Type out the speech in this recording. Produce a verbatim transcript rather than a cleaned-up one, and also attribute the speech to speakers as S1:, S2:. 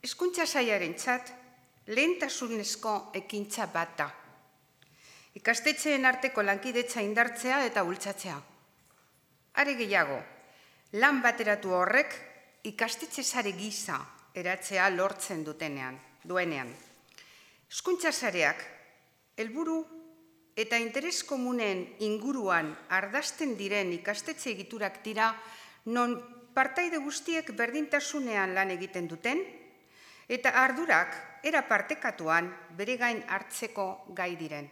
S1: Hezkuntza sailarentzat lehentasunezko ekintza bat da. Ikastetxeen arteko lankidetza indartzea eta bultzatzea. Are gehiago, lan bateratu horrek ikastetxe sare gisa eratzea lortzen dutenean, duenean. Hezkuntza sareak helburu eta interes komunen inguruan ardazten diren ikastetxe egiturak dira non partaide guztiek berdintasunean lan egiten duten eta ardurak era partekatuan bere gain hartzeko gai diren.